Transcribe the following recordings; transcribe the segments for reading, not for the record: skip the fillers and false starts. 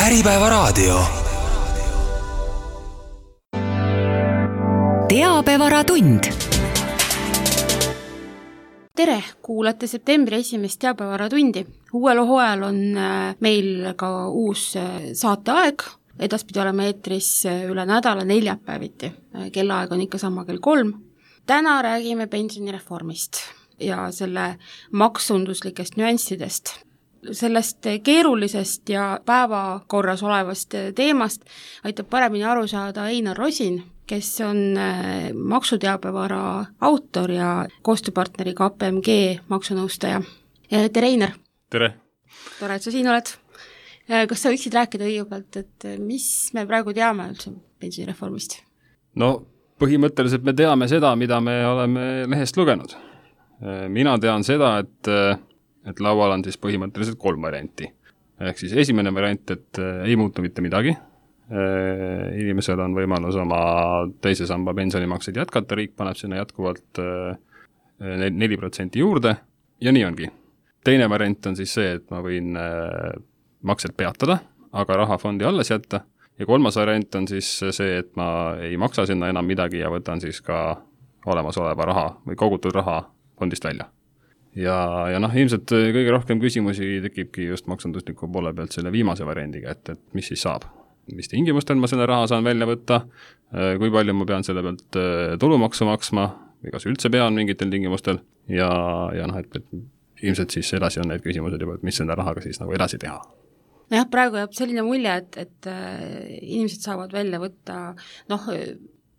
Äripäevaraadio. Teabevaratund. Tere, kuulate septembri 1. teabevaratundi. Uuel hooajal on meil ka uus saateaeg. Edaspidi oleme eetris üle nädala neljapäeviti. Kellaaeg on ikka sama kell 3. Täna räägime pensionireformist ja selle maksunduslikest nüanssidest. Sellest keerulisest ja päevakorras olevast teemast aitab paremini aru saada Einar Rosin, kes on maksuteabevara autor ja koostööpartneri KPMG maksunõustaja. Tere, Einar! Tere! Tore, et sa siin oled. Kas sa võiksid rääkida õigepealt, et mis me praegu teame üldse pensionireformist? No, põhimõtteliselt me teame seda, mida me oleme lehest lugenud. Mina tean seda, et laual on siis põhimõtteliselt 3 varianti. Ehk siis esimene variant, et ei muutu mitte midagi. Inimesel on võimalus oma teise samba pensionimakseid jätkata, riik paneb sinna jätkuvalt 4% juurde ja nii ongi. Teine variant on siis see, et ma võin maksed peatada, aga raha fondi alles jätta. Ja 3. variant on siis see, et ma ei maksa sinna enam midagi ja võtan siis ka olemasoleva raha või kogutud raha fondist välja. Ja ilmselt kõige rohkem küsimusi tekibki just maksundusliku poole pealt selle viimase variandiga, et mis siis saab. Mis tingimustel ma selle raha saan välja võtta, kui palju ma pean selle pealt tulumaksu maksma või kas üldse pean mingitel tingimustel ja et ilmselt siis edasi on need küsimused juba, et mis selle rahaga siis nagu edasi teha. Jah, praegu jääb selline mulje, et inimesed saavad välja võtta,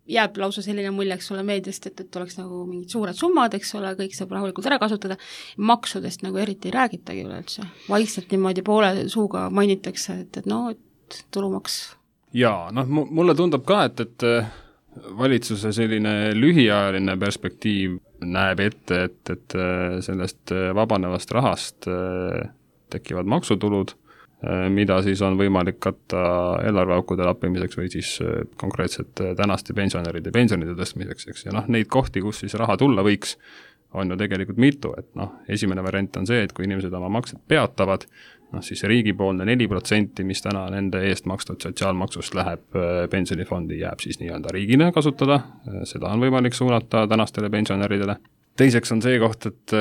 jääb lausa selline mulje, eks ole, meediast, et oleks nagu mingid suured summad, eks ole, kõik saab rahulikult ära kasutada. Maksudest nagu eriti ei räägitagi üleüldse. Vaikselt niimoodi poole suuga mainitakse, et tulumaks. Jaa, mulle tundub ka, et valitsuse selline lühiajaline perspektiiv näeb ette, et sellest vabanevast rahast tekivad maksutulud, mida siis on võimalik katta eelarveaukude lappimiseks või siis konkreetselt tänaste pensionäride pensionide tõstmiseks. Eks? Ja neid kohti, kus siis raha tulla võiks, on ju tegelikult mitu. Et esimene variant on see, et kui inimesed oma maksed peatavad, siis riigipoolne 4%, mis täna nende eest makstud sotsiaalmaksust läheb pensionifondi, jääb siis nii-öelda riigile kasutada. Seda on võimalik suunata tänastele pensionäridele. Teiseks on see koht, et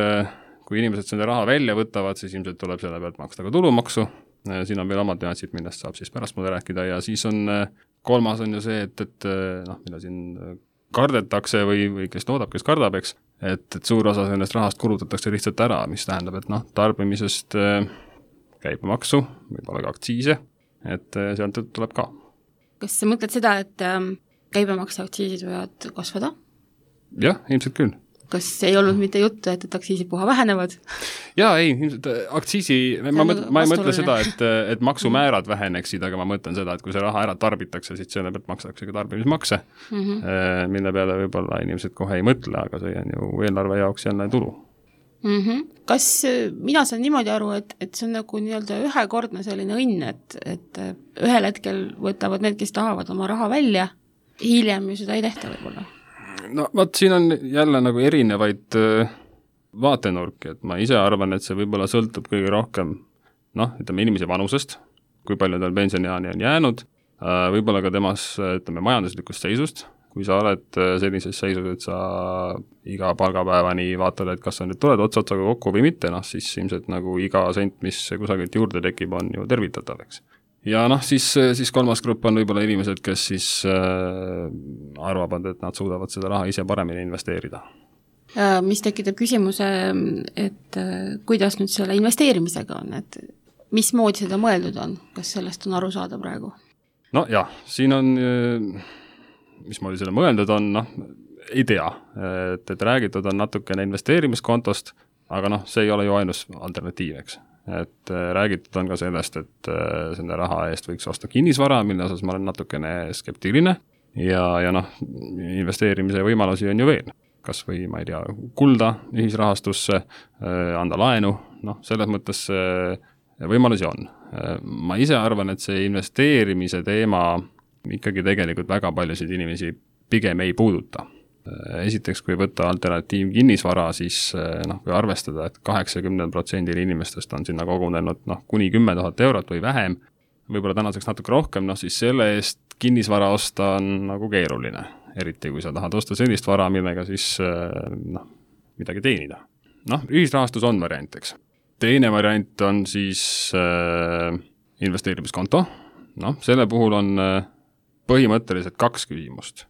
kui inimesed selle raha välja võtavad, siis ilmselt tuleb selle pealt maksta ka tulumaksu. Siin on veel omad nüansid, millest saab siis pärast mulle rääkida ja siis on 3. on ju see, et mida siin kardetakse või kes loodab, kes kardab, eks, et suur osa sellest rahast kulutatakse lihtsalt ära, mis tähendab, et tarbimisest käibemaksu, võib-olla ka aktsiise, et sealt tuleb ka. Kas sa mõtled seda, et käibemaks ja aktsiisid võivad kasvada? Jah, ilmselt küll. Kas ei olnud mitte juttu, et aktsiisid puha vähenevad? Jaa, ei, aktsiisi, ma ei mõtle seda, et maksumäärad väheneksid, aga ma mõtlen seda, et kui see raha ära tarbitakse, siis selle pealt makstakse ka tarbimismakse, mille peale võib-olla inimesed kohe ei mõtle, aga see on ju eelarve jaoks jälle tulu. Kas mina saan niimoodi aru, et see on nagu nii-öelda ühekordne selline õnn, et ühel hetkel võtavad need, kes tahavad oma raha välja, hiljem ju seda ei tehta võib-olla? Siin on jälle nagu erinevaid vaatenurki, et ma ise arvan, et see võib-olla sõltub kõige rohkem, inimese vanusest, kui palju tal pensioniaani on jäänud, võib-olla ka temas, majanduslikust seisust, kui sa oled sellises seisus, et sa iga palgapäevani vaatad, et kas sa nüüd tuled otsotsaga kokku või mitte, siis ilmselt nagu iga sent, mis kusagilt juurde tekib, on ju tervitatav, eks. Ja siis 3. grupp on võib-olla inimesed, kes siis arvavad, et nad suudavad seda raha ise paremini investeerida. Mis tekitab küsimuse, et kuidas nüüd selle investeerimisega on, et mis moodi seda mõeldud on, kas sellest on aru saada praegu? Siin on, mis moodi selle mõeldud on, ei tea, et räägitud on natukene investeerimiskontost, aga see ei ole ju ainus alternatiiv, eks. Et räägitud on ka sellest, et selle raha eest võiks osta kinnisvara, mille osas ma olen natukene skeptiline ja investeerimise võimalusi on ju veel. Kas või, ma ei tea, kulda ühisrahastusse, anda laenu, selles mõttes võimalusi on. Ma ise arvan, et see investeerimise teema ikkagi tegelikult väga paljusid inimesi pigem ei puuduta. Esiteks, kui võtta alternatiiv kinnisvara, siis kui arvestada, et 80% inimestest on sinna kogunenud kuni 10 000 eurot või vähem, võib-olla tänaseks natuke rohkem, siis selle eest kinnisvara osta on nagu keeruline, eriti kui sa tahad osta sellist vara, millega siis midagi teenida. Ühisrahastus on variant, eks. Teine variant on siis investeerimiskonto. Selle puhul on põhimõtteliselt 2 küsimust,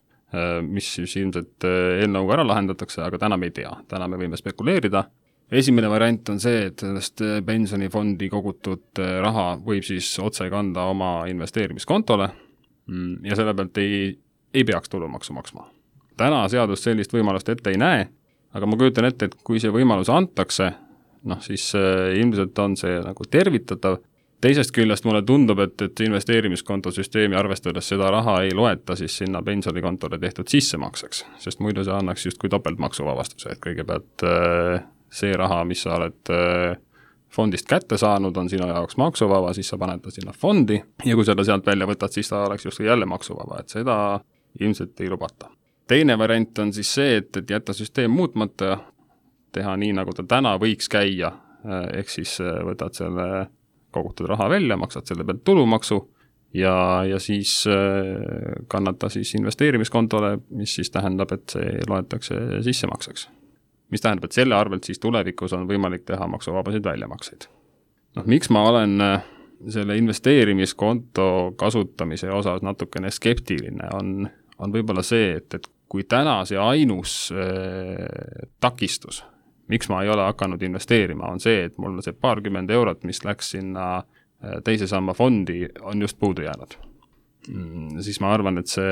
mis siis ilmselt eelnõuga ära lahendatakse, aga täna me ei tea. Täna me võime spekuleerida. Esimene variant on see, et sellest pensionifondi kogutud raha võib siis otse kanda oma investeerimiskontole ja selle pealt ei peaks tulumaksu maksma. Täna seadus sellist võimalust ette ei näe, aga ma kujutan ette, et kui see võimalus antakse, siis ilmselt on see nagu tervitatav. Teisest küljest mulle tundub, et investeerimiskontosüsteemi arvestades seda raha ei loeta siis sinna pensionikontole tehtud sissemakseks, sest muidu see annaks justkui topeltmaksuvabastuse, et kõigepealt see raha, mis sa oled fondist kätte saanud, on sinu jaoks maksuvaba, siis sa paned ta sinna fondi ja kui seda sealt välja võtad, siis ta oleks justkui jälle maksuvaba, et seda ilmselt ei lubata. Teine variant on siis see, et jätta süsteem muutmata, teha nii, nagu ta täna võiks käia, ehk siis võtad selle kogutud raha välja, maksad selle pealt tulumaksu ja siis kannata siis investeerimiskontole, mis siis tähendab, et see loetakse sissemakseks. Mis tähendab, et selle arvelt siis tulevikus on võimalik teha maksuvabasid väljamakseid. Miks ma olen selle investeerimiskonto kasutamise osas natukene skeptiline, on võib-olla see, et kui täna see ainus takistus, miks ma ei ole hakanud investeerima, on see, et mul see paarkümmend eurot, mis läks sinna teise samba fondi, on just puudu jäänud. Siis ma arvan, et see,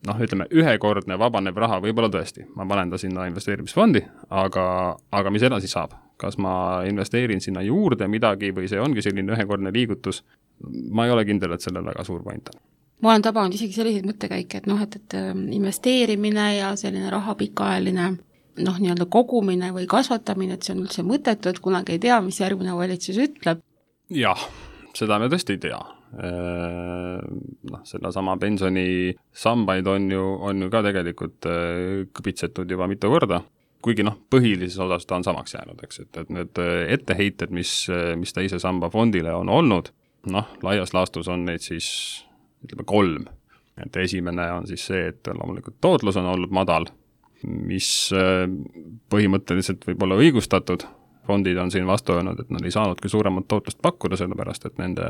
ühekordne vabanev raha võib-olla tõesti. Ma panen ta sinna investeerimisfondi, aga mis edasi saab? Kas ma investeerin sinna juurde midagi või see ongi selline ühekordne liigutus? Ma ei ole kindel, et sellel väga suur point on. Ma olen tabanud isegi selliseid mõttekäike, et investeerimine ja selline raha pikaajaline nii-öelda kogumine või kasvatamine, et see on üldse mõttetu, et kunagi ei tea, mis järgmine valitsus ütleb. Jah, seda me tõesti ei tea. Seda sama pensionisambaid on ju ka tegelikult kõpitsetud juba mitu korda, kuigi põhilises osas ta on samaks jäänud, eks, et need etteheited, mis teise samba fondile on olnud, laias laastus on neid siis 3. Et esimene on siis see, et loomulikult tootlus on olnud madal, mis põhimõtteliselt võib olla õigustatud. Fondid on siin vastu öelnud, et nad ei saanudki suuremat tootlust pakkuda, sellepärast et nende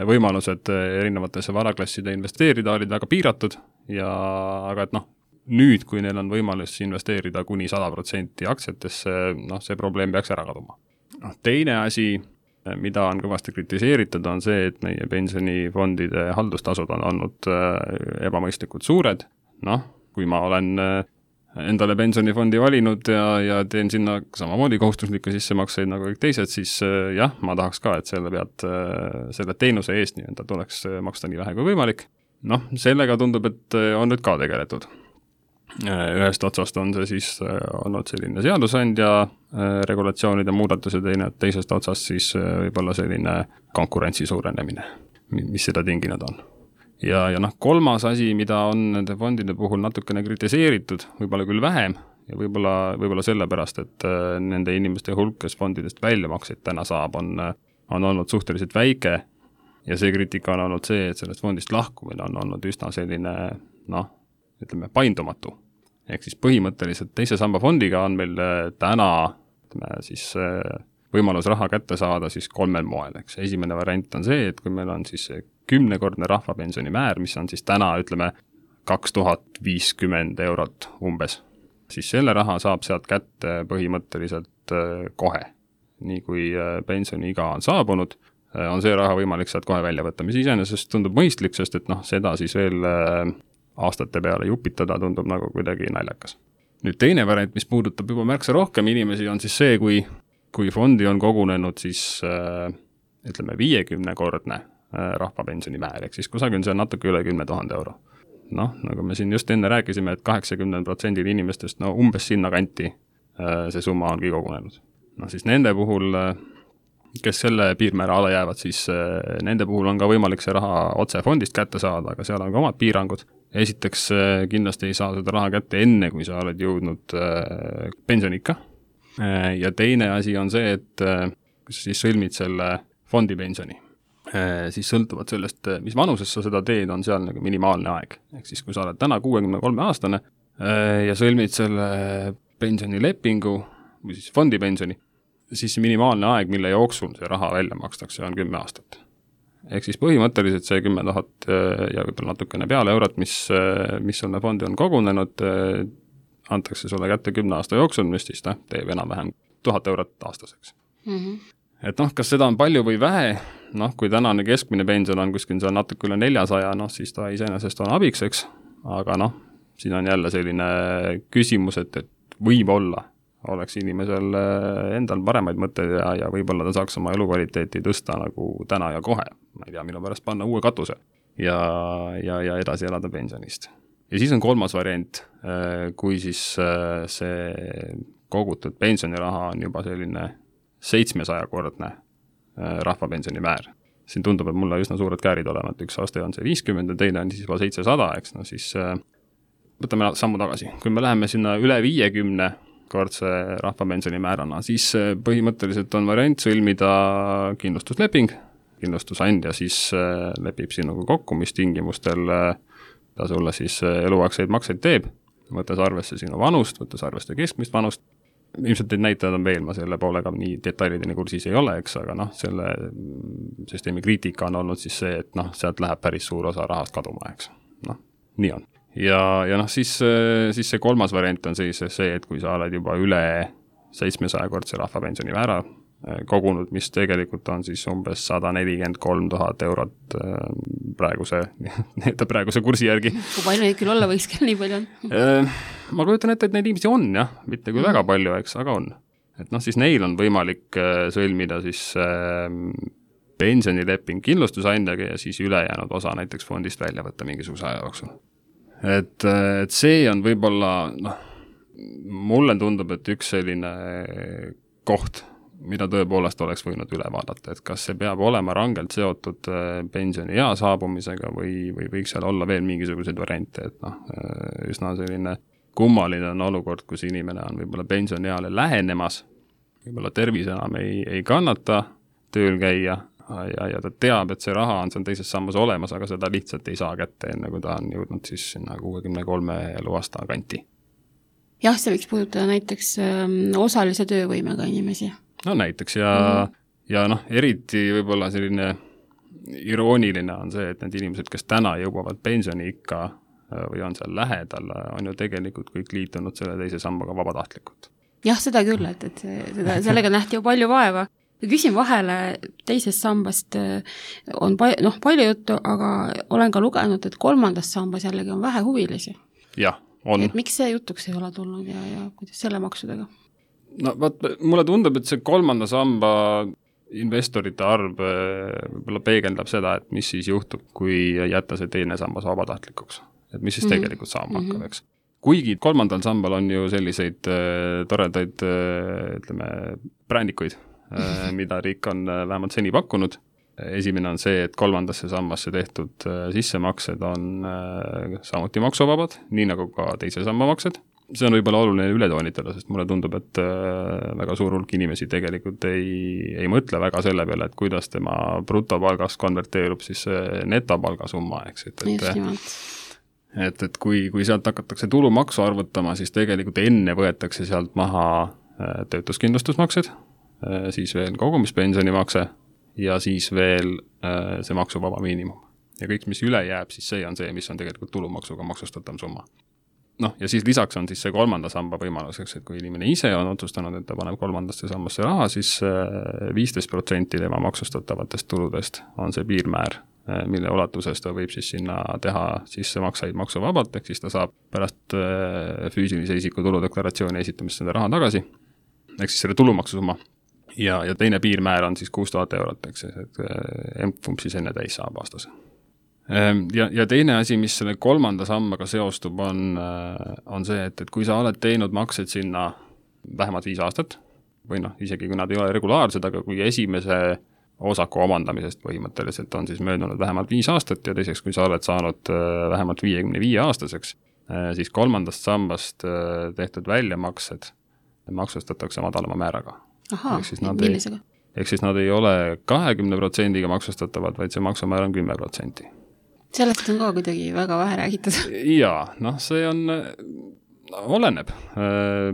võimalused erinevatesse varaklasside investeerida olid väga piiratud aga nüüd, kui neil on võimalus investeerida kuni 100% aktsiatesse, see probleem peaks ära kaduma. Teine asi, mida on kõvasti kritiseeritud, on see, et meie pensionifondide haldustasud on olnud ebamõistlikult suured. Kui ma olen endale pensionifondi valinud ja teen sinna samamoodi kohustuslikke sissemakseid nagu kõik teised, siis jah, ma tahaks ka, et selle teenuse eest nii-öelda tuleks maksta nii vähe kui võimalik. Sellega tundub, et on nüüd ka tegeletud. Ühest otsast on see siis olnud selline seadusandja regulatsioonide muudatus ja teisest otsast siis võib-olla selline konkurentsi suurenemine, mis seda tinginud on. Ja kolmas asi, mida on nende fondide puhul natukene kritiseeritud, võib-olla küll vähem ja võib-olla sellepärast, et nende inimeste hulk, kes fondidest väljamakseid täna saab, on olnud suhteliselt väike ja see kriitika on olnud see, et sellest fondist lahkumine on olnud üsna selline, paindumatu. Ehk siis põhimõtteliselt teise samba fondiga on meil täna siis võimalus raha kätte saada siis 3 moel. Eks. Esimene variant on see, et kui meil on siis 10-kordne rahvapensioni määr, mis on siis täna, 2050 eurot umbes, siis selle raha saab sealt kätte põhimõtteliselt kohe. Nii kui pensioniiga on saabunud, on see raha võimalik sealt kohe välja võtta, mis iseenesest tundub mõistlik, sest et seda siis veel aastate peale jupitada tundub nagu kuidagi naljakas. Nüüd teine variant, mis puudutab juba märksa rohkem inimesi, on siis see, kui fondi on kogunenud siis 50-kordne rahvapensioni määr, ehk siis kusagil see on natuke üle 10 000 euro. Nagu me siin just enne rääkisime, et 80% inimestest umbes sinna kanti see summa ongi kogunenud. Siis nende puhul, kes selle piirmäära alla jäävad, siis nende puhul on ka võimalik see raha otse fondist kätte saada, aga seal on ka omad piirangud. Esiteks kindlasti ei saa seda raha kätte enne, kui sa oled jõudnud pensionikka. Ja teine asi on see, et kui sa siis sõlmid selle fondipensioni, siis sõltuvalt sellest, mis vanuses sa seda teed, on seal nagu minimaalne aeg. Ehk siis, kui sa oled täna 63-aastane ja sõlmid selle pensionilepingu või siis fondipensioni, siis minimaalne aeg, mille jooksul see raha välja makstakse, on 10 aastat. Ehk siis põhimõtteliselt see 10 000 ja võib-olla natukene peale eurot, mis sulle fondi on kogunenud, antakse sulle kätte 10 aasta jooksul, mis siis teeb enam-vähem 1000 eurot aastaseks. Et kas seda on palju või vähe, kui tänane keskmine pension on kuskil seal natuke üle 400, siis ta iseenesest on abiks, eks, aga siin on jälle selline küsimus, et võib-olla oleks inimesel endal paremaid mõtteid ja võib-olla ta saaks oma elukvaliteeti tõsta nagu täna ja kohe, ma ei tea, mille pärast panna uue katuse ja edasi elada pensionist. Ja siis on kolmas variant, kui siis see kogutud pensioniraha on juba selline 700-kordne rahvapensioni määr. Siin tundub, et mulle üsna suured käärid olema, et üks aasta on see 50 ja teine on siis juba 700, eks, siis võtame sammu tagasi. Kui me läheme sinna üle 50-kordse rahvapensioni määrana, siis põhimõtteliselt on variant sõlmida kindlustusleping. Kindlustusandja siis lepib sinuga kokku, mis tingimustel ta sulle siis eluaegseid makseid teeb, võttes arvesse sinu vanust, võttes arvesse keskmist vanust. Ilmselt neid näitajad on veel, ma selle poolega nii detailideni kursis ei ole, eks, aga selle süsteemi kriitika on olnud siis see, et sealt läheb päris suur osa rahast kaduma, eks. Nii on. Ja siis see kolmas variant on siis see, et kui sa oled juba üle 700-kordse rahvapensioni määra kogunud, mis tegelikult on siis umbes 143 000 eurot praeguse kursi järgi. Kui palju neid küll olla võiks, nii palju on? Ma kujutan ette, et neid inimesi on, jah, mitte küll väga palju, eks, aga on. Et siis neil on võimalik sõlmida siis pensionileping kindlustusandjaga ja siis ülejäänud osa näiteks fondist välja võtta mingisuguse aja jooksul. Et see on võib-olla, mulle tundub, et üks selline koht, mida tõepoolest oleks võinud üle vaadata, et kas see peab olema rangelt seotud pensioni ea saabumisega või võiks seal olla veel mingisuguseid variante, et üsna selline kummaline on olukord, kus inimene on võib-olla pensionieale lähenemas, võib-olla tervis enam ei kannata tööl käia ja ta teab, et see raha on seal teises sammas olemas, aga seda lihtsalt ei saa kätte, enne kui ta on jõudnud siis sinna 63 eluaasta kanti. Jah, see võiks puudutada näiteks osalise töövõimega inimesi. No näiteks ja eriti võib-olla selline irooniline on see, et need inimesed, kes täna jõuavad pensioni ikka või on seal lähedal, on ju tegelikult kõik liitunud selle teise sambaga vabatahtlikult. Jah, seda küll, et sellega nähti ju palju vaeva. Küsin vahele teisest sambast on palju juttu, aga olen ka lugenud, et kolmandas sambas jällegi on vähe huvilisi. Jah, on. Et miks see jutuks ei ole tulnud ja kuidas selle maksudega? Mulle tundub, et see kolmanda samba investorite arv võib-olla peegeldab seda, et mis siis juhtub, kui jätta see teine sambas vabatahtlikuks. Et mis siis tegelikult saama hakkab, eks. Kuigi kolmandal sambal on ju selliseid toredaid, ütleme, brändikuid, mida riik on vähemalt seni pakkunud. Esimene on see, et kolmandasse sambasse tehtud sissemaksed on samuti maksuvabad, nii nagu ka teise samba maksed. See on võib-olla oluline ületoonitada, sest mulle tundub, et väga suur hulk inimesi tegelikult ei mõtle väga selle peale, et kuidas tema brutopalgast konverteerub siis netopalga summa, eks. Et kui sealt hakatakse tulumaksu arvutama, siis tegelikult enne võetakse sealt maha töötuskindlustusmaksed, siis veel kogumispensionimakse ja siis veel see maksuvaba miinimum. Ja kõik, mis üle jääb, siis see on see, mis on tegelikult tulumaksuga maksustatav summa. Ja siis lisaks on siis see kolmanda samba võimaluseks, et kui inimene ise on otsustanud, et ta paneb kolmandasse sambasse raha, siis 15% tema maksustatavatest tuludest on see piirmäär, mille ulatuses ta võib siis sinna teha sissemakseid maksuvabalt, ehk siis ta saab pärast füüsilise isiku tuludeklaratsiooni esitamist seda raha tagasi, ehk siis selle tulumaksusumma. Ja teine piirmäär on siis 6000 eurot, eks see, et empfumb siis enne täis saab aastas. Ja teine asi, mis selle kolmanda sambaga seostub, on see, et kui sa oled teinud maksed sinna vähemalt 5 aastat, või isegi kui nad ei ole regulaarsed, aga kui esimese osaku omandamisest põhimõtteliselt on siis möödunud vähemalt 5 aastat ja teiseks, kui sa oled saanud vähemalt 55-aastaseks, siis kolmandast sambast tehtud väljamaksed maksustatakse madalama määraga. Ahaa, millisega? ehk siis nad ei ole 20% maksustatavad, vaid see maksumäär on 10%. Sellest on ka kuidagi väga vähe räägitud. Jaa, see on, oleneb.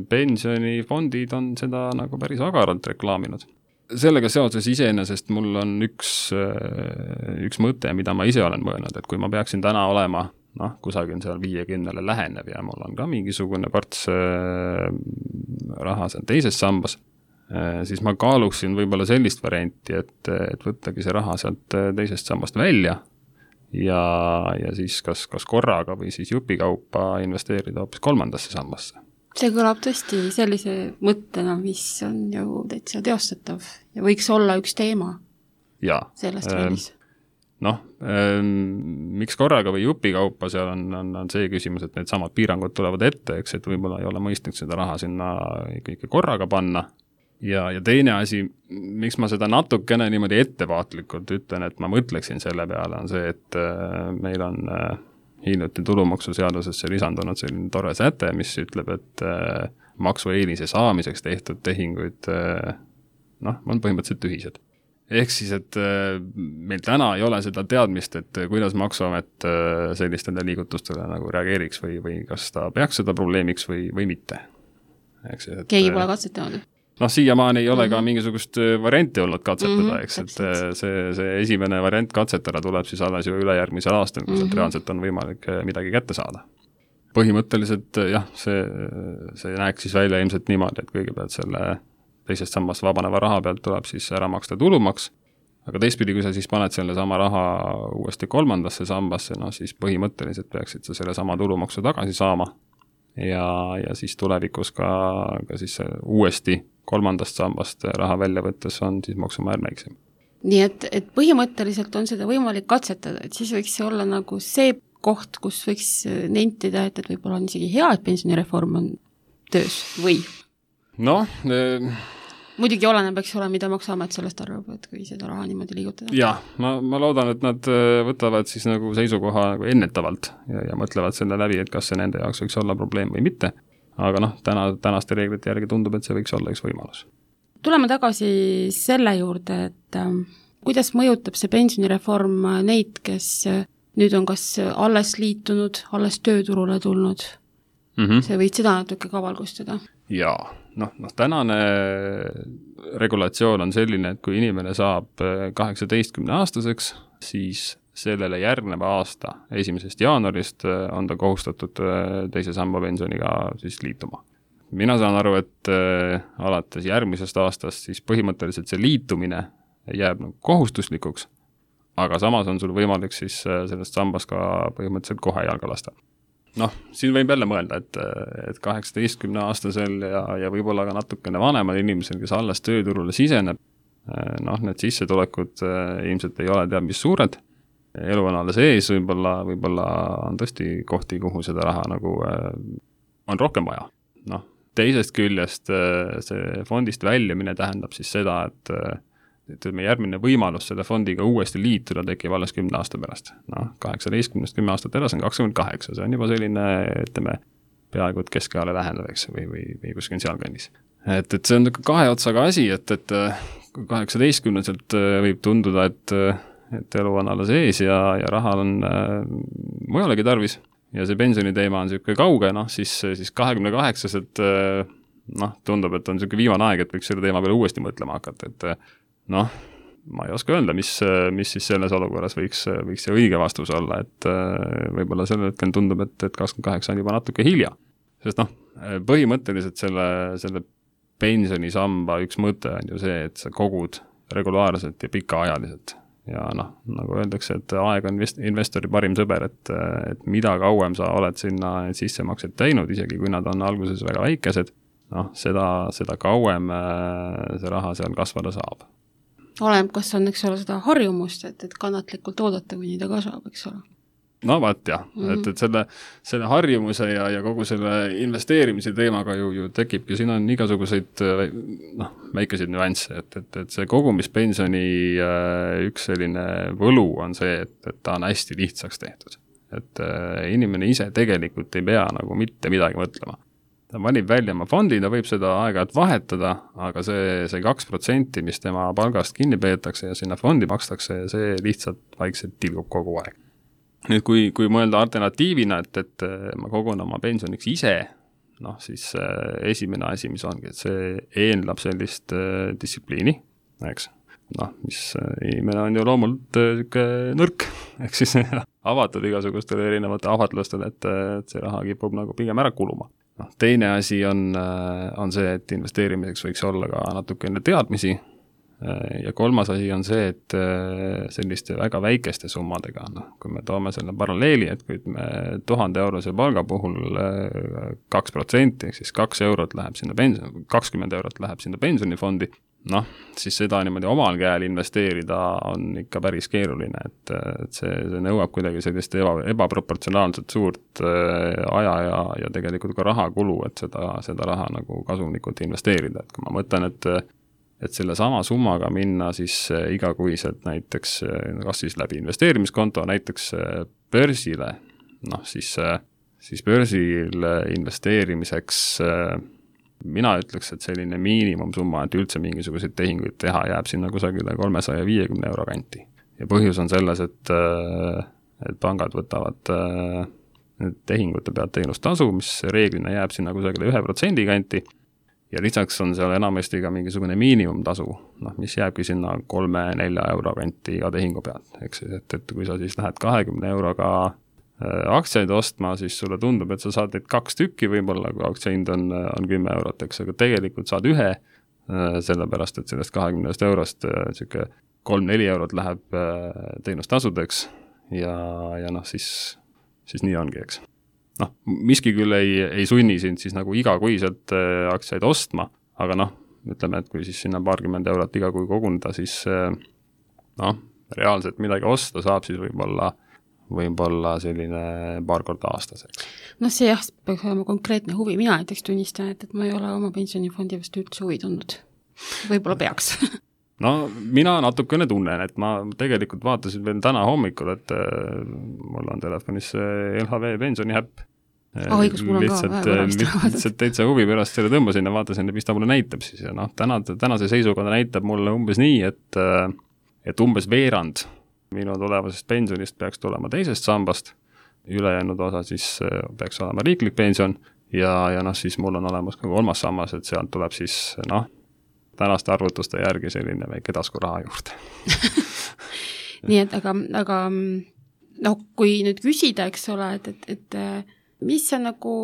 Pensionifondid on seda nagu päris agaralt reklaaminud. Sellega seoses iseenesest mul on üks mõte, mida ma ise olen mõelnud, et kui ma peaksin täna olema kusagil seal 50 lähenev ja mul on ka mingisugune parts raha seal teises sambas, siis ma kaaluksin võib-olla sellist varianti, et võttagi see raha sealt teisest sambast välja ja siis kas korraga või siis jupikaupa investeerida hoopis kolmandasse sambasse. See kõlab tõesti sellise mõttena, mis on ju täitsa teostatav ja võiks olla üks teema sellest raamis. Miks korraga või jupikaupa, seal on see küsimus, et need samad piirangud tulevad ette, eks, et võib-olla ei ole mõistlik seda raha sinna ikka korraga panna. Ja teine asi, miks ma seda natukene niimoodi ettevaatlikult ütlen, et ma mõtleksin selle peale, on see, et meil on hiljuti tulumaksuseadusesse lisandunud selline tore säte, mis ütleb, et maksueelise saamiseks tehtud tehinguid on põhimõtteliselt tühised. Ehk siis, et meil täna ei ole seda teadmist, et kuidas maksuamet sellistele liigutustele nagu reageeriks või kas ta peaks seda probleemiks või mitte. Keegi pole katsetanud. Siiamaani ei ole ka mingisugust varianti olnud katsetada, eks, et see esimene variant katsetada tuleb siis alles ju ülejärgmisel aastal, kus reaalselt on võimalik midagi kätte saada. Põhimõtteliselt see näeks siis välja ilmselt niimoodi, et kõigepealt selle teisest sammast vabaneva raha pealt tuleb siis ära maksta tulumaks, aga teistpidi, kui sa siis paned selle sama raha uuesti kolmandasse sambasse, siis põhimõtteliselt peaksid sa selle sama tulumaksu tagasi saama ja siis tulevikus ka siis uuesti kolmandast sambast raha välja võttes on siis maksumäär väiksem. Nii et põhimõtteliselt on seda võimalik katsetada, et siis võiks see olla nagu see koht, kus võiks nentida, et võib-olla on isegi hea, et pensionireform on töös või? Muidugi oleneb, eks ole, mida maksuamet sellest arvab, et kui seda raha niimoodi liigutada. Jah, ma loodan, et nad võtavad siis nagu seisukoha nagu ennetavalt ja mõtlevad selle läbi, et kas see nende jaoks võiks olla probleem või mitte. Aga tänaste reeglite järgi tundub, et see võiks olla üks võimalus. Tuleme tagasi selle juurde, et kuidas mõjutab see pensionireform neid, kes nüüd on kas alles liitunud, alles tööturule tulnud? See võid seda natuke ka valgustada? Jaa, tänane regulatsioon on selline, et kui inimene saab 18-aastaseks, siis sellele järgneva aasta 1. jaanuarist on ta kohustatud teise samba pensioniga siis liituma. Mina saan aru, et alates järgmisest aastast siis põhimõtteliselt see liitumine jääb kohustuslikuks, aga samas on sul võimalik siis sellest sambast ka põhimõtteliselt kohe jalga lasta. Siin võib jälle mõelda, et 18-aastasel ja võib-olla ka natukene vanemal inimesel, kes alles tööturule siseneb, need sissetulekud ilmselt ei ole teab mis suured, elu on alles ees, võib-olla on tõesti kohti, kuhu seda raha nagu on rohkem vaja. Teisest küljest see fondist väljumine tähendab siis seda, et järgmine võimalus selle fondiga uuesti liituda tekib alles 10 aasta pärast. 18-10 aastat edasi on 28, see on juba selline, ütleme, peaaegu et keskajale lähendav, eks, või kuskil sealkandis. Et see on kahe otsaga asi, et 18-selt võib tunduda, et elu on alles ees ja raha on mujalegi tarvis ja see pensioniteema on niisugune kauge, siis 28-selt tundub, et on niisugune viimane aeg, et võiks selle teema peale uuesti mõtlema hakata, et ma ei oska öelda, mis siis selles olukorras võiks see õige vastus olla, et võib-olla sellel hetkel tundub, et 28 on juba natuke hilja. Sest põhimõtteliselt selle pensionisamba üks mõte on ju see, et sa kogud regulaarselt ja pikaajaliselt. Ja nagu öeldakse, et aeg on investori parim sõber, et mida kauem sa oled sinna sissemaksed teinud, isegi kui nad on alguses väga väikesed, seda kauem see raha seal kasvada saab. Oleneb, kas on, eks ole, seda harjumust, et kannatlikult oodata, kuni ta kasvab, eks ole. Jah, et selle harjumuse ja kogu selle investeerimise teemaga ju tekibki, siin on igasuguseid väikeseid nüansse, et see kogumispensioni üks selline võlu on see, et ta on hästi lihtsaks tehtud. Et inimene ise tegelikult ei pea nagu mitte midagi mõtlema. ta valib välja oma fondi, ta võib seda aeg-ajalt vahetada, aga see 2%, mis tema palgast kinni peetakse ja sinna fondi makstakse, see lihtsalt vaikselt tilgub kogu aeg. Nüüd, kui mõelda alternatiivina, et ma kogun oma pensioniks ise, noh, siis esimene asi, mis ongi, et see eeldab sellist distsipliini, eks. Noh, mis inimene on ju loomult nõrk, ehk siis avatud igasugustele erinevate ahvatlustele, et see raha kipub nagu pigem ära kuluma. No, teine asi on see, et investeerimiseks võiks olla ka natuke enne teadmisi ja kolmas asi on see, et selliste väga väikeste summadega, noh, kui me toome selle paralleeli, et kui me 1000 eurose palga puhul 2%, ehk siis 2 eurot läheb sinna 20 eurot läheb sinna pensionifondi, noh, siis seda niimoodi omal käel investeerida on ikka päris keeruline, et see nõuab kuidagi sellist ebaproportsionaalselt suurt aja ja tegelikult ka rahakulu, et seda raha nagu kasumlikult investeerida, et kui ma mõtlen, et selle sama summaga minna siis igakuiselt näiteks, kas siis läbi investeerimiskonto, näiteks börsile, noh siis börsil investeerimiseks mina ütleks, et selline miinimumsumma, et üldse mingisuguseid tehinguid teha, jääb sinna kusagile 350 euro kanti. Ja põhjus on selles, et pangad võtavad tehingute pealt teenustasu, mis reeglina jääb sinna kusagile 1% kanti ja lisaks on seal enamasti ka mingisugune miinimumtasu, noh, mis jääbki sinna 3-4 euro kanti iga tehingu pealt. Eks siis, et kui sa siis lähed 20 euroga aktsiaid ostma, siis sulle tundub, et sa saad neid 2 tükki võib-olla, kui aktsiahind on 10 eurot, eks, aga tegelikult saad ühe, sellepärast, et sellest 20 eurost 3-4 eurot läheb teenustasudeks ja noh, siis nii ongi, eks. Noh, miski küll ei sunni sind siis nagu igakuiselt aktsiaid ostma, aga noh, ütleme, et kui siis sinna paarkümmend eurot iga kui koguneda, siis noh, reaalselt midagi osta saab siis võib-olla selline paar korda aastas, eks. No see jah, peaks olema konkreetne huvi. Mina näiteks tunnistan, et ma ei ole oma pensionifondi vastu üldse huvi tundnud. Võib-olla peaks. No mina natukene tunnen, et ma tegelikult vaatasin veel täna hommikul, et mul on telefonis LHV pensioniäpp. Õigus, mul on lihtsalt täitsa huvi pärast selle tõmbasin ja vaatasin, mis ta mulle näitab siis. Ja noh, tänase seisuga ta näitab mulle umbes nii, et umbes veerand minu tulevasest pensionist peaks tulema teisest sambast, ülejäänud osa siis peaks olema riiklik pension ja noh, siis mul on olemas ka 3. sammas, et sealt tuleb siis noh, tänaste arvutuste järgi selline väike taskuraha juurde. Nii et aga noh, kui nüüd küsida, eks ole, et mis sa nagu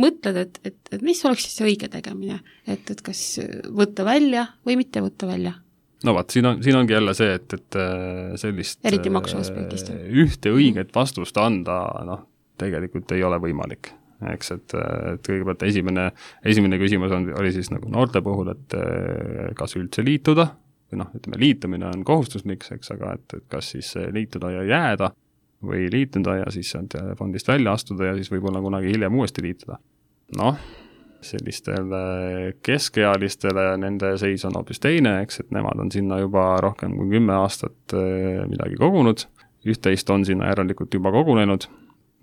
mõtled, et mis oleks siis õige tegemine, et kas võtta välja või mitte võtta välja? No vaat, siin ongi jälle see, et sellist eriti maksu aspektist. Ühte õiget vastust anda, noh, tegelikult ei ole võimalik. Eks, et kõigepealt esimene küsimus oli siis nagu noorte puhul, et kas üldse liituda, või noh, ütleme, liitumine on kohustuslik, eks, aga et kas siis liituda ja jääda või liituda ja siis fondist välja astuda ja siis võib-olla kunagi hiljem uuesti liituda. Noh, sellistele keskealistele nende seis on hoopis teine, eks, et nemad on sinna juba rohkem kui 10 aastat midagi kogunud, üht-teist on sinna järelikult juba kogunenud,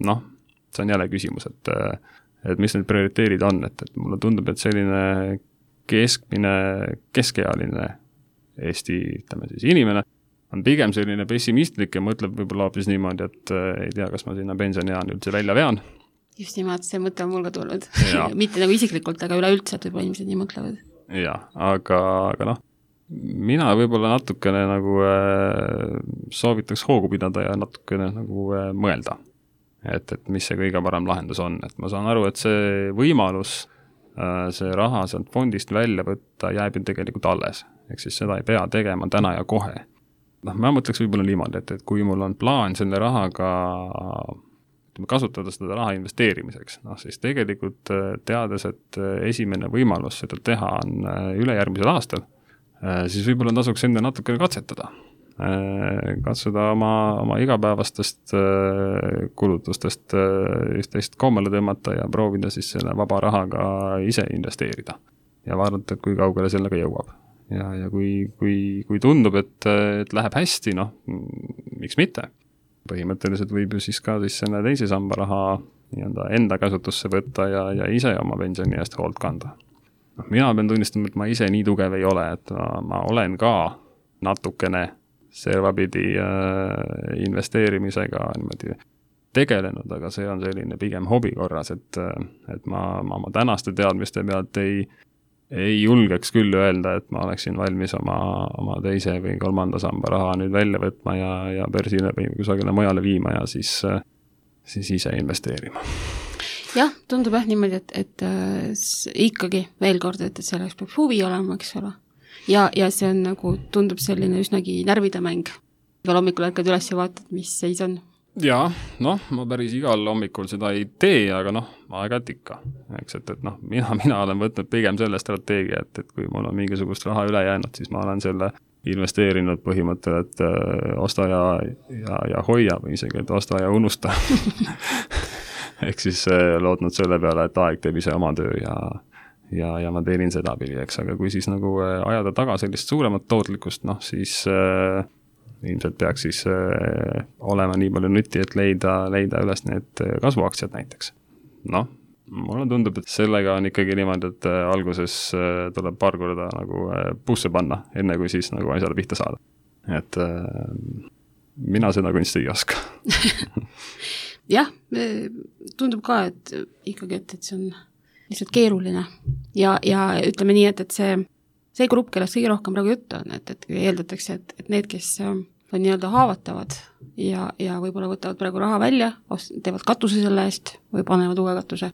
noh, see on jälle küsimus, et mis need prioriteerid on, et mulle tundub, et selline keskealine Eesti, ütleme siis inimene, on pigem selline pessimistlik ja mõtleb võib-olla hoopis niimoodi, et ei tea, kas ma sinna pensioniean üldse välja vean. Just nimelt, see mõte on mul ka tulnud. Mitte nagu isiklikult, aga üleüldse, et võib-olla inimesed nii mõtlevad. Jaa, aga noh, mina võib-olla natukene nagu soovitaks hoogu pidada ja natukene nagu mõelda, et mis see kõige parem lahendus on. Et ma saan aru, et see võimalus see raha sealt fondist välja võtta jääb ju tegelikult alles. Ehk siis seda ei pea tegema täna ja kohe. Noh, ma mõtleks võib-olla niimoodi, et kui mul on plaan selle rahaga kasutada seda raha investeerimiseks, noh siis tegelikult teades, et esimene võimalus seda teha on ülejärgmisel aastal, siis võib-olla tasuks enne natukene katsetada. Katsuda oma igapäevastest kulutustest üht-teist koomale tõmmata ja proovida siis selle vaba rahaga ise investeerida ja vaadata, et kui kaugele sellega jõuab. Ja kui tundub, et läheb hästi, noh, miks mitte? Põhimõtteliselt võib ju siis ka siis selle teise samba raha nii-öelda enda käsutusse võtta ja ise oma pensioni eest hoolt kanda. Mina pean tunnistama, et ma ise nii tugev ei ole, et ma olen ka natukene servapidi investeerimisega niimoodi tegelenud, aga see on selline pigem hobi korras, et ma oma tänaste teadmiste pealt ei julgeks küll öelda, et ma oleksin valmis oma teise või kolmanda samba raha nüüd välja võtma ja börsile või kusagile mujale viima ja siis ise investeerima. Jah, tundub niimoodi, et ikkagi veel kord, et selleks peab huvi olema, eks ole. Ja see on nagu, tundub selline üsnagi närvide mäng. Igal hommikul ärkad üles ja vaatad, mis seis on. Jaa, ma päris igal hommikul seda ei tee, aga aeg-ajalt ikka. Eks, et mina olen võtnud pigem selle strateegia, et kui mul on mingisugust raha üle jäänud, siis ma olen selle investeerinud põhimõttel, et osta ja hoia või isegi, et osta ja unusta. Ehk siis lootnud selle peale, et aeg teeb ise oma töö ja ma teenin seda pidi, eks, aga kui siis nagu ajada taga sellist suuremat tootlikkust, siis ilmselt peaks siis olema nii palju nütti, et leida üles need kasvuaktsiad näiteks. Mulle tundub, et sellega on ikkagi niimoodi, et alguses tuleb paar korda nagu puusse panna, enne kui siis nagu asjale pihta saada. Et mina seda kunsti ei oska. Jah, tundub ka, et ikkagi, et see on lihtsalt keeruline. Ja ütleme nii, et see grupp, kellest kõige rohkem praegu juttu on, et eeldatakse, et need, kes on nii-öelda haavatavad ja võib-olla võtavad praegu raha välja, teevad katuse selle eest või panevad uue katuse.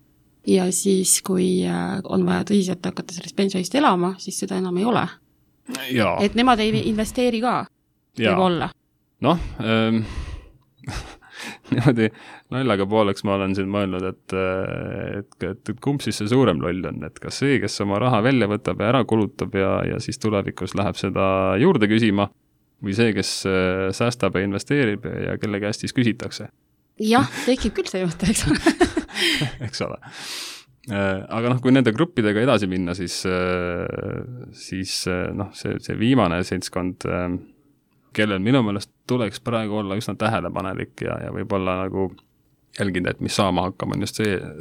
Ja siis, kui on vaja tõsiselt hakata sellest pensionist elama, siis seda enam ei ole. Ja. Et nemad ei investeeri ka, võib olla. Niimoodi naljaga pooleks ma olen siin mõelnud, et kumb siis see suurem loll on, et kas see, kes oma raha välja võtab ja ära kulutab ja siis tulevikus läheb seda juurde küsima, või see, kes säästab ja investeerib ja kelle käest siis küsitakse. Jah, tekib küll see mõte, eks ole. Eks ole. Aga kui nende gruppidega edasi minna, siis see viimane seltskond, kellel minu meelest tuleks praegu olla üsna tähelepanelik ja võib-olla nagu jälgida, et mis saama hakkab, on just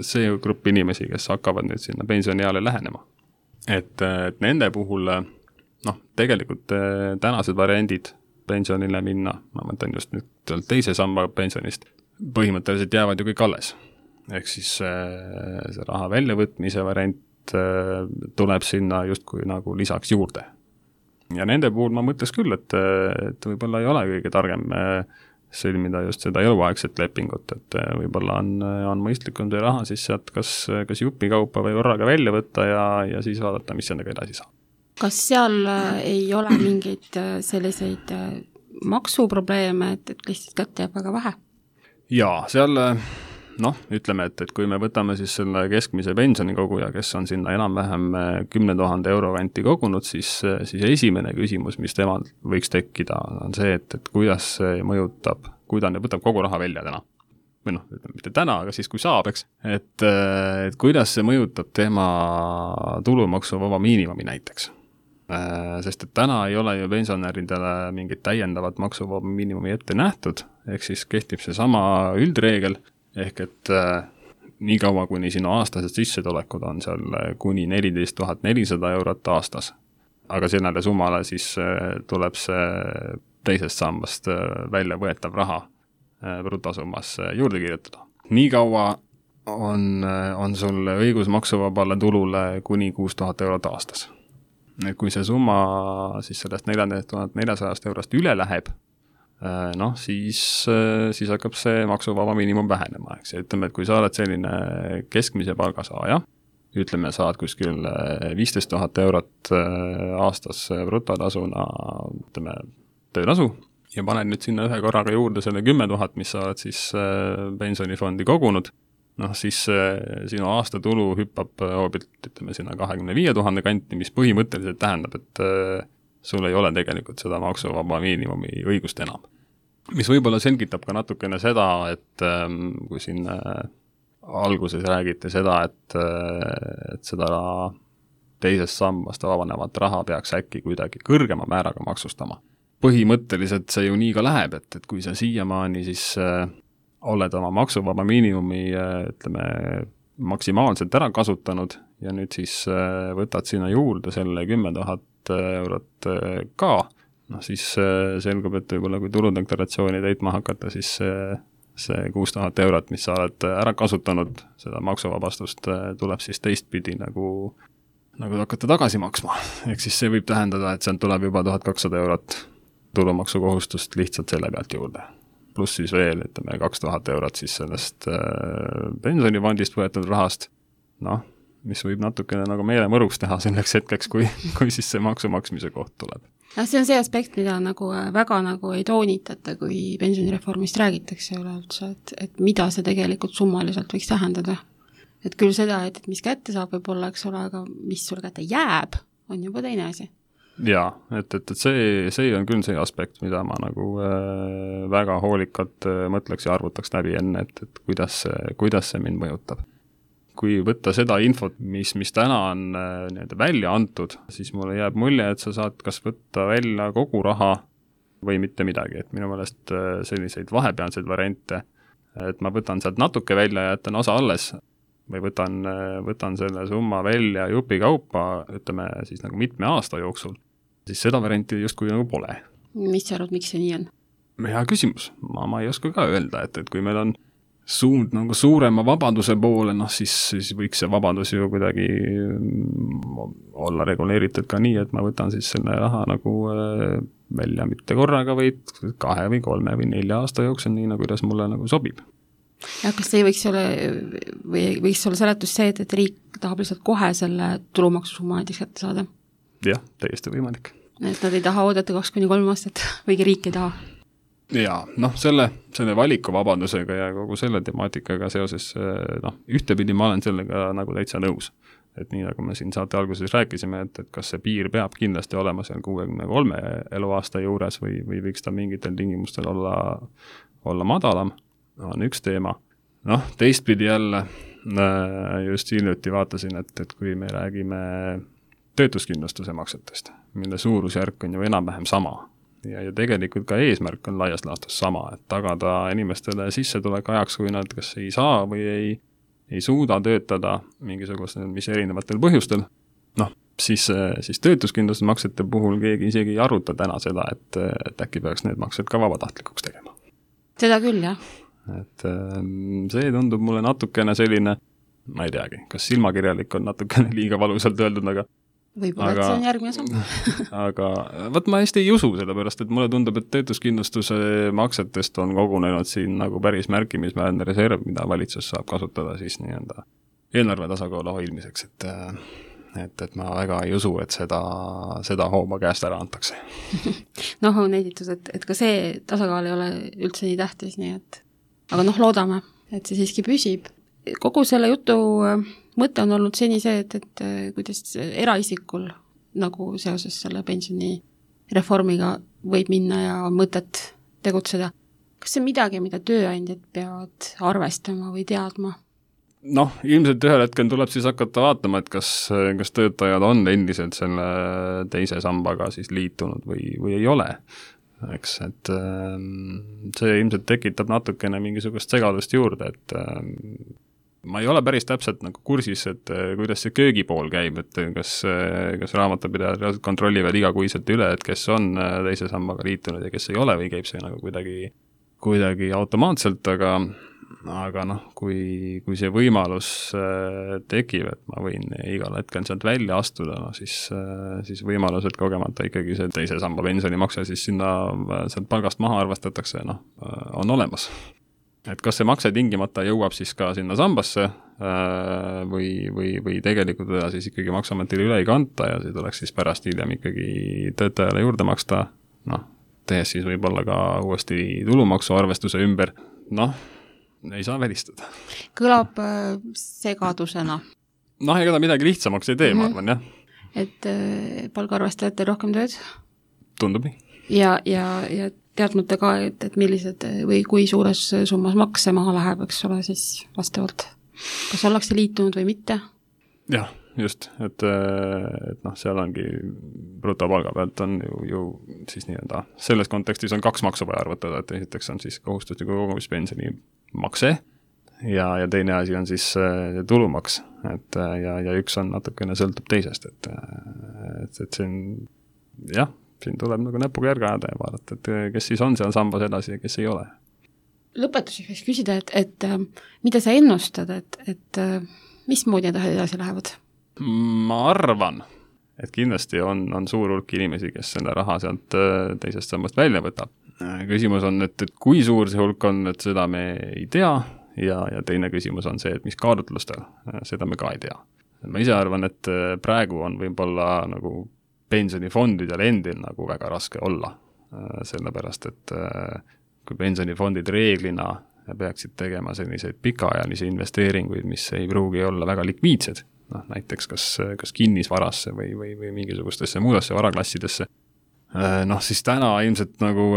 see grupp inimesi, kes hakkavad nüüd sinna pensionieale lähenema. Et nende puhul tegelikult tänased variandid pensionile minna, ma mõtlen just nüüd teise samba pensionist, põhimõtteliselt jäävad ju kõik alles. Ehk siis see raha väljavõtmise variant tuleb sinna justkui nagu lisaks juurde. Ja nende puhul ma mõtles küll, et võib-olla ei ole kõige targem sõlmida just seda eluaegset lepingut, et võib-olla on mõistlikum see raha siis sealt kas jupikaupa või korraga välja võtta ja siis vaadata, mis sellega edasi saab. Kas seal ei ole mingeid selliseid maksuprobleeme, et lihtsalt kätte jääb väga vähe? Jaa, seal ütleme, et kui me võtame siis selle keskmise pensionikoguja, kes on sinna enam-vähem 10 000 euro kanti kogunud, siis esimene küsimus, mis temal võiks tekkida, on see, et kuidas see mõjutab, kui ta võtab kogu raha välja täna. Või mitte täna, aga siis kui saab, eks. Et kuidas see mõjutab tema tulumaksuvaba miinimumi näiteks. Sest et täna ei ole ju pensionäridele mingit täiendavat maksuvaba miinimumi ette nähtud, ehk siis kehtib see sama üldreegel, ehk et nii kaua, kuni sinu aastased sissetulekud on seal kuni 14 400 eurot aastas. Aga sellele summale siis tuleb see teisest sambast välja võetav raha brutosummas juurde kirjutada. Nii kaua on sul õigus maksuvabale tulule kuni 6000 eurot aastas. Kui see summa siis sellest 14 400 eurost üle läheb, siis hakkab see maksuvaba miinimum vähenema. Eks. Ütleme, et kui sa oled selline keskmise palgasaaja, ütleme, saad kuskil 15 000 eurot aastas brutotasuna, ütleme, töötasu, ja paned nüüd sinna ühe korraga juurde selle 10 000, mis sa oled siis pensionifondi kogunud, siis sinu aastatulu hüppab hoobilt, ütleme, sinna 25 000 kanti, mis põhimõtteliselt tähendab, et sul ei ole tegelikult seda maksuvaba miinimumi õigust enam. Mis võib-olla selgitab ka natukene seda, et kui siin alguses räägiti seda, et seda teisest sambast vabanevat raha peaks äkki kuidagi kõrgema määraga maksustama. Põhimõtteliselt see ju nii ka läheb, et kui sa siiamaani siis oled oma maksuvaba miinimumi, ütleme, maksimaalselt ära kasutanud ja nüüd siis võtad sinna juurde selle 10 000 eurot ka, noh siis selgub, et võib-olla kui tuludeklaratsiooni täitma hakata, siis see 6000 eurot, mis sa oled ära kasutanud, seda maksuvabastust tuleb siis teistpidi nagu hakata tagasi maksma. Ehk siis see võib tähendada, et sealt tuleb juba 1200 eurot tulumaksukohustust lihtsalt selle pealt juurde. Pluss siis veel, ütleme, 2000 eurot siis sellest pensionifondist võetud rahast, noh, mis võib natukene nagu meele mõruks teha selleks hetkeks, kui siis see maksu maksmise koht tuleb. Ja see on see aspekt, mida nagu väga nagu ei toonitata, kui pensionireformist räägitakse üleüldse, et mida see tegelikult summaliselt võiks tähendada. Et küll seda, et mis kätte saab võib-olla, eks ole, aga mis sul kätte jääb, on juba teine asi. Jaa, et see on küll see aspekt, mida ma nagu väga hoolikalt mõtleks ja arvutaks läbi enne, et kuidas see mind mõjutab. Kui võtta seda infot, mis täna on välja antud, siis mulle jääb mulje, et sa saad kas võtta välja kogu raha või mitte midagi, et minu meelest selliseid vahepealseid variante, et ma võtan sealt natuke välja ja jätan osa alles või võtan selle summa välja jupi kaupa, ütleme siis nagu mitme aasta jooksul, siis seda varianti justkui nagu pole. Mis sa arvad, miks see nii on? Hea küsimus. Ma ei oska ka öelda, et kui meil on suund nagu suurema vabaduse poole, noh siis võiks see vabadus ju kuidagi olla reguleeritud ka nii, et ma võtan siis selle raha nagu välja mitte korraga, vaid 2 või 3 või 4 aasta jooksul, nii nagu kuidas mulle nagu sobib. Ja kas see võiks olla seletus see, et riik tahab lihtsalt kohe selle tulumaksusumma näiteks kätte saada? Jah, täiesti võimalik. Et nad ei taha oodata 2-3 aastat, võigi riik ei taha? Jaa, noh, selle valikuvabadusega ja kogu selle temaatikaga seoses, noh, ühtepidi ma olen sellega nagu täitsa nõus. Et nii nagu me siin saate alguses rääkisime, et kas see piir peab kindlasti olema seal 63 eluaasta juures või võiks ta mingitel tingimustel olla madalam, on üks teema. Noh, teistpidi jälle just hiljuti vaatasin, et kui me räägime töötuskindlustuse maksetest, mille suurusjärk on ju enam-vähem sama, ja tegelikult ka eesmärk on laias laastus sama, et tagada inimestele sissetulek ajaks, kui nad kas ei saa või ei suuda töötada mingisugustel, mis erinevatel põhjustel. Noh, siis töötuskindlustusmaksete puhul keegi isegi ei aruta täna seda, et äkki peaks need maksed ka vabatahtlikuks tegema. Seda küll, jah. Et see tundub mulle natukene selline, ma ei teagi, kas silmakirjalik on natukene liiga valusalt öeldud, võib-olla, et see on järgmine samm. Aga võt ma hästi ei usu seda pärast, et mulle tundub, et töötuskindlustuse maksetest on kogunenud siin nagu päris märkimisväärne reserv, mida valitsus saab kasutada siis nii-enda eelarve tasakaalu hoidmiseks, et ma väga ei usu, et seda hooma käest ära antakse. Noh, on editus, et ka see tasakaal ei ole üldse nii tähtis, nii et aga noh, loodame, et see siiski püsib. Kogu selle jutu mõte on olnud seni see, et kuidas eraisikul nagu seoses selle pensionireformiga võib minna ja mõtet tegutseda. Kas see on midagi, mida tööandjad peavad arvestama või teadma? Noh, ilmselt ühel hetkel tuleb siis hakata vaatama, et kas töötajad on endiselt selle teise sambaga siis liitunud või ei ole. Eks, et see ilmselt tekitab natukene mingisugust segadust juurde, et ma ei ole päris täpselt nagu kursis, et kuidas see köögipool käib, et kas raamatupidajad kontrollivad igakuiselt üle, et kes on teise sambaga liitunud ja kes ei ole või käib see nagu kuidagi automaatselt, aga noh, kui see võimalus tekib, et ma võin igal hetkel sealt välja astuda, no siis võimalused kogemata ikkagi see teise samba pensionimakse siis sinna sealt palgast maha arvestatakse, noh, on olemas. Et kas see makse tingimata jõuab siis ka sinna sambasse või tegelikult teda siis ikkagi maksametile üle ei kanta ja see tuleks siis pärast hiljem ikkagi töötajale juurde maksta, noh, tehes siis võib-olla ka uuesti tulumaksu arvestuse ümber, noh, ei saa välistada. Kõlab segadusena. Noh, ega ta midagi lihtsamaks ei tee, ma arvan, jah. Et palgaarvestajatel rohkem tööd? Tundub nii. Ja teadmata ka, et millised või kui suures summas makse maha läheb, eks ole, siis vastavalt. Kas ollakse liitunud või mitte? Jah, just, et noh, seal ongi brutopalga pealt on ju siis nii-öelda selles kontekstis on 2 maksu vaja arvutada, et esiteks on siis kohustusliku kogumispensioni makse ja teine asi on siis tulumaks, ja üks on natukene sõltub teisest, et see on, jah, siin tuleb nagu näpuga järge ajada ja vaadata, et kes siis on seal sambas edasi ja kes ei ole. Lõpetuseks võiks küsida, et mida sa ennustad, et mismoodi need edasi lähevad? Ma arvan, et kindlasti on suur hulk inimesi, kes selle raha sealt teisest sambast välja võtab. Küsimus on, et kui suur see hulk on, et seda me ei tea, ja teine küsimus on see, et mis kaalutlustel, seda me ka ei tea. Ma ise arvan, et praegu on võib-olla nagu pensionifondidel endil nagu väga raske olla, sellepärast, et kui pensionifondid reeglina peaksid tegema selliseid pikaajalisi investeeringuid, mis ei pruugi olla väga likviidsed, näiteks kas kinnisvarasse või mingisugustesse muudesse varaklassidesse, siis täna ilmselt nagu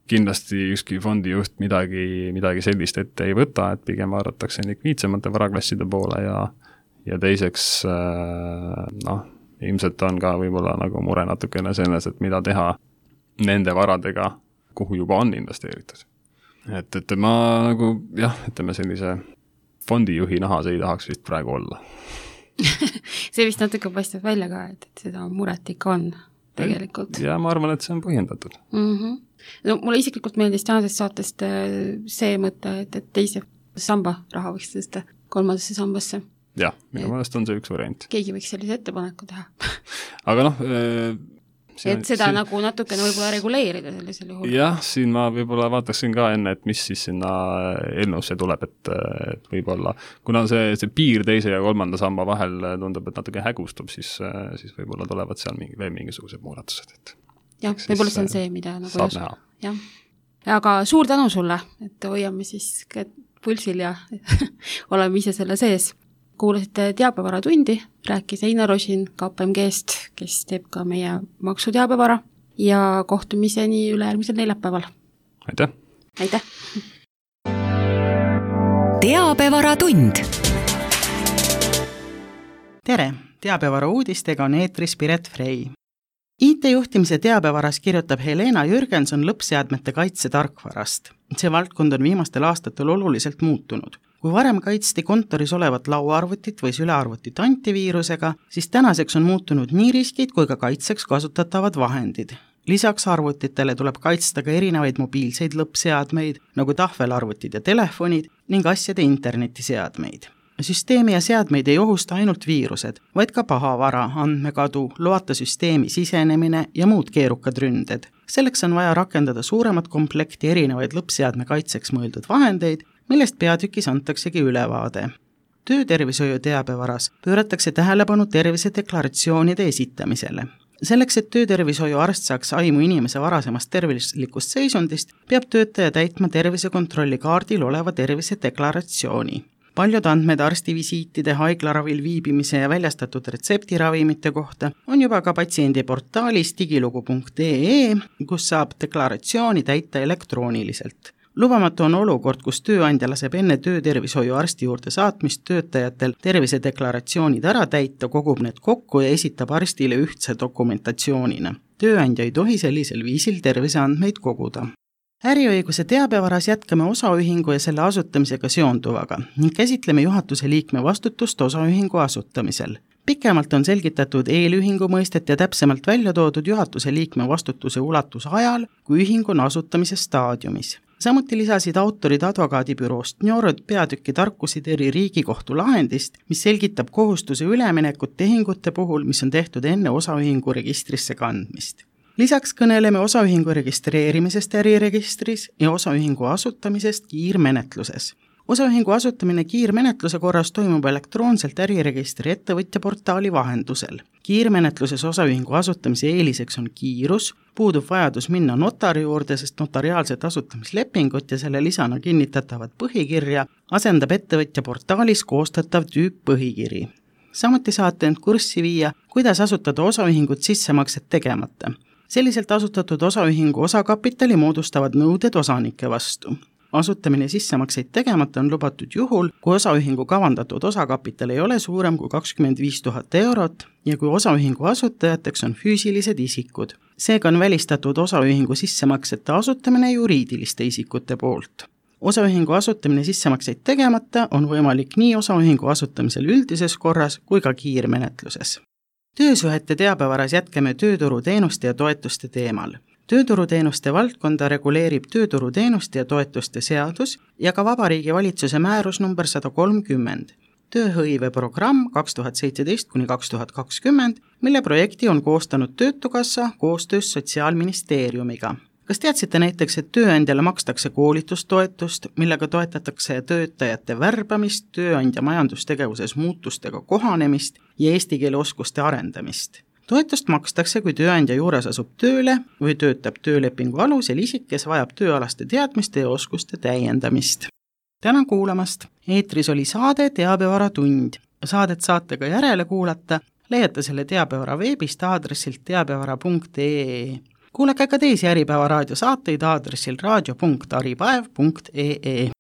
kindlasti ükski fondijuht midagi sellist ette ei võta, et pigem vaadatakse likviidsemate varaklasside poole ja teiseks ilmselt on ka võib-olla nagu mure natukene selles, et mida teha nende varadega, kuhu juba on investeeritud. Et ma nagu, ütleme sellise fondijuhi nahas ei tahaks vist praegu olla. See vist natuke paistab välja ka, et seda muret ikka on tegelikult. Ja ma arvan, et see on põhjendatud. No mulle isiklikult meeldis tänasest saatest see mõte, et teise samba raha võiks tõsta kolmandasse sambasse. Jah, minu meelest on see üks variant. Keegi võiks sellise ettepaneku teha. Aga seda nagu natukene võib-olla reguleerida sellisel juhul. Jah, siin ma võib-olla vaataksin ka enne, et mis siis sinna eelnõusse tuleb, et võib-olla, kuna see piir teise ja kolmanda samba vahel tundub, et natuke hägustub, siis võib-olla tulevad seal veel mingisugused muudatused. Jah, võib-olla see on see, mida nagu saab näha. Jah. Aga suur tänu sulle, et hoiame siis pulsil ja oleme ise selle sees. Kuulasite teabevara-tundi, rääkis Einar Rosin KPMG-st, kes teeb ka meie maksuteabevara ja kohtumiseni ülejärgmisel neljapäeval. Aitäh! Aitäh! Teabevara-tund. Tere! Teabevara uudistega on eetris Piret Frey. IT-juhtimise teabevaras kirjutab Helena Jürgenson lõppseadmete kaitse tarkvarast. See valdkond on viimastel aastatel oluliselt muutunud. Kui varem kaitsti kontoris olevat lauaarvutit või sülearvutit antiviirusega, siis tänaseks on muutunud nii riskid kui ka kaitseks kasutatavad vahendid. Lisaks arvutitele tuleb kaitsta ka erinevaid mobiilseid lõppseadmeid, nagu tahvelarvutid ja telefonid ning asjade internetiseadmeid. Süsteemi ja seadmeid ei ohusta ainult viirused, vaid ka pahavara, andmekadu, loata süsteemi sisenemine ja muud keerukad ründed. Selleks on vaja rakendada suuremat komplekti erinevaid lõppseadme kaitseks mõeldud vahendeid, millest peatükis antaksegi ülevaade. Töötervishoiu teabevaras pööratakse tähelepanu tervisedeklaratsioonide esitamisele. Selleks, et töötervishoiu arst saaks aimu inimese varasemast tervislikust seisundist, peab töötaja täitma tervisekontrolli kaardil oleva tervisedeklaratsiooni. Paljud andmed arstivisiitide, haiglaravil viibimise ja väljastatud retseptiravimite kohta on juba ka patsiendi portaalis digilugu.ee, kus saab deklaratsiooni täita elektrooniliselt. Lubamatu on olukord, kus tööandja laseb enne töötervishoiu arsti juurde saatmist töötajatel tervisedeklaratsioonid ära täita, kogub need kokku ja esitab arstile ühtse dokumentatsioonina. Tööandja ei tohi sellisel viisil terviseandmeid koguda. Äriõiguse teabevaras jätkame osaühingu ja selle asutamisega seonduvaga ning käsitleme juhatuse liikme vastutust osaühingu asutamisel. Pikemalt on selgitatud eelühingu mõistet ja täpsemalt välja toodud juhatuse liikme vastutuse ulatus ajal, kui ühing on asutamise staadiumis. Samuti lisasid autorid advokaadibüroost Njorod peatükki Tarkusiteri Riigikohtu lahendist, mis selgitab kohustuse üleminekut tehingute puhul, mis on tehtud enne osaühingu registrisse kandmist. Lisaks kõneleme osaühingu registreerimisest äriregistris ja osaühingu asutamisest kiirmenetluses. Osaühingu asutamine kiirmenetluse korras toimub elektroonselt äriregistri ettevõtja portaali vahendusel. Kiirmenetluses osaühingu asutamise eeliseks on kiirus, puudub vajadus minna notari juurde, sest notariaalset asutamislepingut ja selle lisana kinnitatavat põhikirja asendab ettevõtja portaalis koostatav tüüppõhikiri. Samuti saate end kurssi viia, kuidas asutada osaühingut sissemakset tegemata. Selliselt asutatud osaühingu osakapitali moodustavad nõuded osanike vastu. Asutamine sissemakseid tegemata on lubatud juhul, kui osaühingu kavandatud osakapital ei ole suurem kui 25 000 eurot ja kui osaühingu asutajateks on füüsilised isikud. Seega on välistatud osaühingu sissemaksete asutamine juriidiliste isikute poolt. osaühingu asutamine sissemakseid tegemata on võimalik nii osaühingu asutamisel üldises korras kui ka kiirmenetluses. Töösuhete teabavaras jätkame tööturuteenuste ja toetuste teemal. Tööturuteenuste valdkonda reguleerib tööturuteenuste ja toetuste seadus ja ka Vabariigi Valitsuse määrus number 130. Tööhõiveprogramm 2017–2020, mille projekti on koostanud Töötukassa koostöös Sotsiaalministeeriumiga. Kas teadsite näiteks, et tööandjale makstakse koolitustoetust, millega toetatakse töötajate värbamist, tööandja majandustegevuses muutustega kohanemist ja eesti keele oskuste arendamist? Toetust makstakse, kui tööandja juures asub tööle või töötab töölepingu alusel isik, kes vajab tööalaste teadmiste ja oskuste täiendamist. Tänan kuulamast! Eetris oli saade Teabevara tund. Saadet saate ka järele kuulata, leiate selle Teabevara veebist aadressilt teabevara.ee. Kuulake ka teisi Äripäeva raadiosaateid aadressil raadio.aripäev.ee.